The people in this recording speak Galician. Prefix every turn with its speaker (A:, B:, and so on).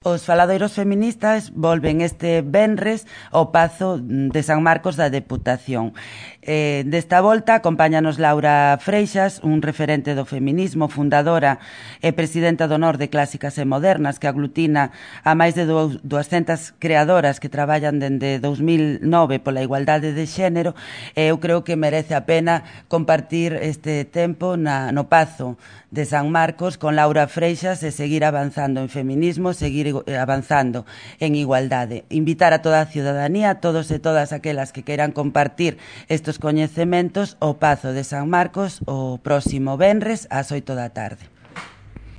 A: Os faladoiros feministas volven este venres ao Pazo de San Marcos da Deputación. Desta volta acompáñanos Laura Freixas, un referente do feminismo, fundadora e presidenta do honor de Clásicas e Modernas, que aglutina a máis de 200 creadoras que traballan dende 2009 pola igualdade de xénero. Eu creo que merece a pena compartir este tempo no Pazo de San Marcos con Laura Freixas e seguir avanzando en feminismo, seguir avanzando en igualdade. Invitar a toda a ciudadanía, a todos e todas aquelas que queiran compartir estes coñecementos ao Pazo de San Marcos o próximo venres ás 8 da tarde.